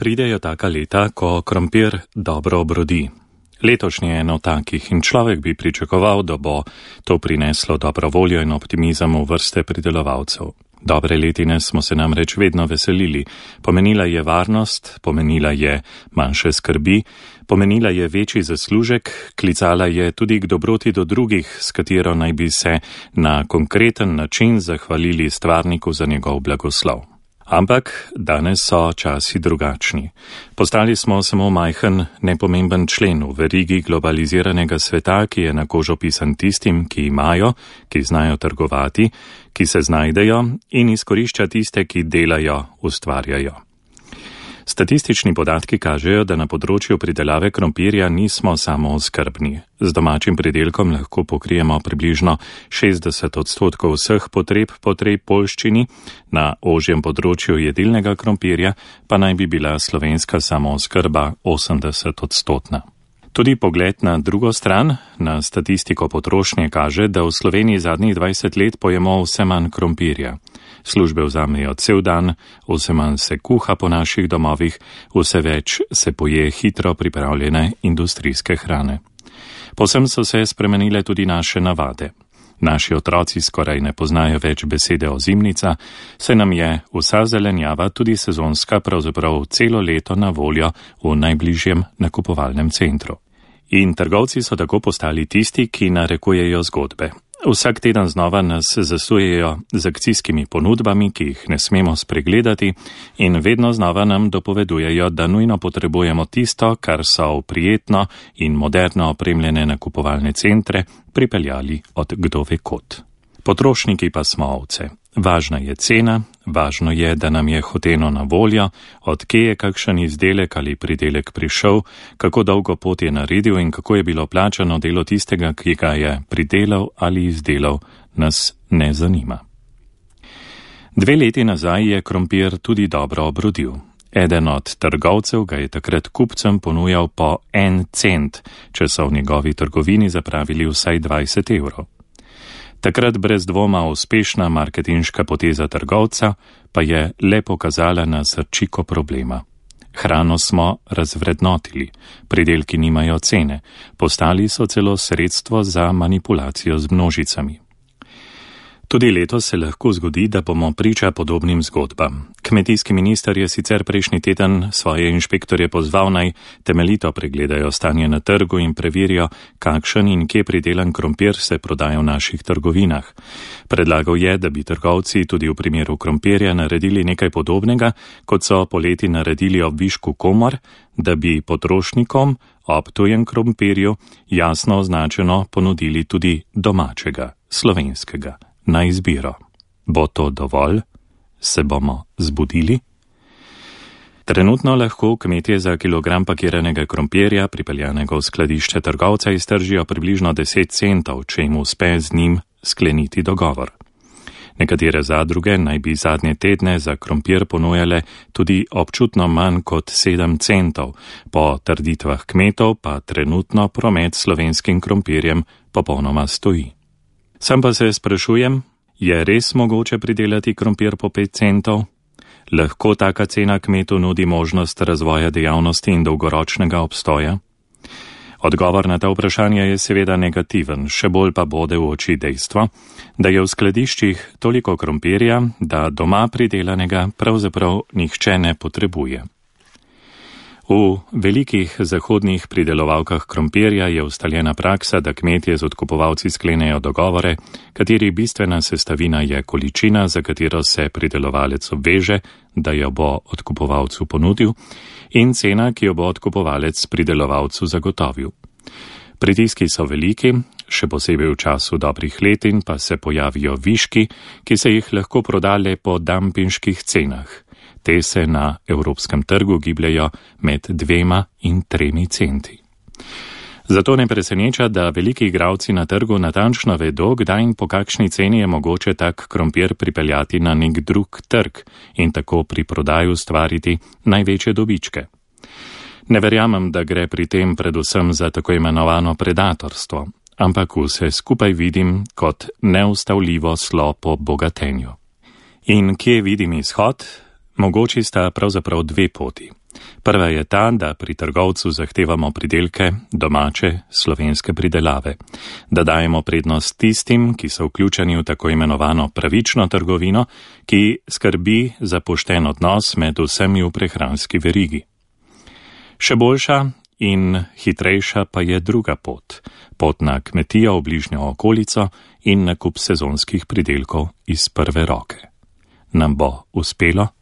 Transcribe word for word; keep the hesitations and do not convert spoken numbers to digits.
Pridejo taka leta, ko krompir dobro obrodi. Letošnje je eno takih in človek bi pričakoval, da bo to prineslo dobro voljo in optimizem v vrste pridelovalcev. Dobre letine smo se namreč vedno veselili. Pomenila je varnost, pomenila je manjše skrbi, pomenila je večji zaslužek, klicala je tudi k dobroti do drugih, s katero naj bi se na konkreten način zahvalili stvarniku za njegov blagoslov. Ampak danes so časi drugačni. Postali smo samo majhen, nepomemben člen v verigi globaliziranega sveta, ki je na kožo pisan tistim, ki imajo, ki znajo trgovati, ki se znajdejo in izkorišča tiste, ki delajo, ustvarjajo. Statistični podatki kažejo, da na področju pridelave krompirja nismo samo oskrbni. Z domačim pridelkom lahko pokrijemo približno šestdeset odstotkov vseh potreb po tej poljščini, na ožjem področju jedilnega krompirja pa naj bi bila slovenska samooskrba osemdeset odstotna. Tudi pogled na drugo stran, na statistiko potrošnje, kaže, da v Sloveniji zadnjih dvajset let pojemo vse manj krompirja. Službe vzamejo cel dan, vse manj se kuha po naših domovih, vse več se poje hitro pripravljene industrijske hrane. Povsem so se spremenile tudi naše navade. Naši otroci skoraj ne poznajo več besede ozimnica, saj nam je vsa zelenjava, tudi sezonska, pravzaprav celo leto na voljo v najbližjem nakupovalnem centru. In trgovci so tako postali tisti, ki narekujejo zgodbe. Vsak teden znova nas zasujejo z akcijskimi ponudbami, ki jih ne smemo spregledati, in vedno znova nam dopovedujejo, da nujno potrebujemo tisto, kar so v prijetno in moderno opremljene nakupovalne centre pripeljali od kdo ve kod. Potrošniki pa smo ovce. Važna je cena, važno je, da nam je hoteno na voljo, od kje je kakšen izdelek ali pridelek prišel, kako dolgo pot je naredil in kako je bilo plačano delo tistega, ki ga je pridelal ali izdelal, nas ne zanima. Dve leti nazaj je krompir tudi dobro obrodil. Eden od trgovcev ga je takrat kupcem ponujal po en cent, če so v njegovi trgovini zapravili vsaj dvajset evrov. Takrat brez dvoma uspešna marketinška poteza trgovca pa je le pokazala na srčiko problema. Hrano smo razvrednotili, pridelki nimajo cene, postali so celo sredstvo za manipulacijo z množicami. Tudi letos se lahko zgodi, da bomo priča podobnim zgodbam. Kmetijski minister je sicer prejšnji teden svoje inšpektorje pozval, naj temeljito pregledajo stanje na trgu in preverijo, kakšen in kje pridelan krompir se prodaja v naših trgovinah. Predlagal je, da bi trgovci tudi v primeru krompirja naredili nekaj podobnega, kot so poleti naredili ob višku komor, da bi potrošnikom ob tujem krompirju jasno označeno ponudili tudi domačega, slovenskega. Na izbiro. Bo to dovolj? Se bomo zbudili? Trenutno lahko kmetje za kilogram pakiranega krompirja, pripeljanega v skladišče trgovca, iztržijo približno deset centov, če jim uspe z njim skleniti dogovor. Nekatere zadruge naj bi zadnje tedne za krompir ponujale tudi občutno manj kot sedem centov, po trditvah kmetov pa trenutno promet s slovenskim krompirjem popolnoma stoji. Sam pa se sprašujem, je res mogoče pridelati krompir po pet centov? Lahko taka cena kmetu nudi možnost razvoja dejavnosti in dolgoročnega obstoja? Odgovor na ta vprašanja je seveda negativen, še bolj pa bode v oči dejstvo, da je v skladiščih toliko krompirja, da doma pridelanega pravzaprav nihče ne potrebuje. V velikih zahodnih pridelovalkah krompirja je ustaljena praksa, da kmetje z odkupovalci sklenejo dogovore, kateri bistvena sestavina je količina, za katero se pridelovalec obveže, da jo bo odkupovalcu ponudil, in cena, ki jo bo odkupovalec pridelovalcu zagotovil. Pritiski so veliki, še posebej v času dobrih letin pa se pojavijo viški, ki se jih lahko proda le po dampinških cenah. Te se na evropskem trgu gibljajo med dvema in tremi centi. Zato ne preseneča, da veliki igralci na trgu natančno vedo, kdaj in po kakšni ceni je mogoče tak krompir pripeljati na nek drug trg in tako pri prodaju ustvariti največje dobičke. Ne verjamem, da gre pri tem predvsem za tako imenovano predatorstvo, ampak vse skupaj vidim kot neustavljivo slo po bogatenju. In kje vidim izhod? Mogoči sta pravzaprav dve poti. Prva je ta, da pri trgovcu zahtevamo pridelke domače slovenske pridelave, da dajemo prednost tistim, ki so vključeni v tako imenovano pravično trgovino, ki skrbi za pošten odnos med vsemi v prehranski verigi. Še boljša in hitrejša pa je druga pot, pot na kmetijo v bližnjo okolico in nakup sezonskih pridelkov iz prve roke. Nam bo uspelo?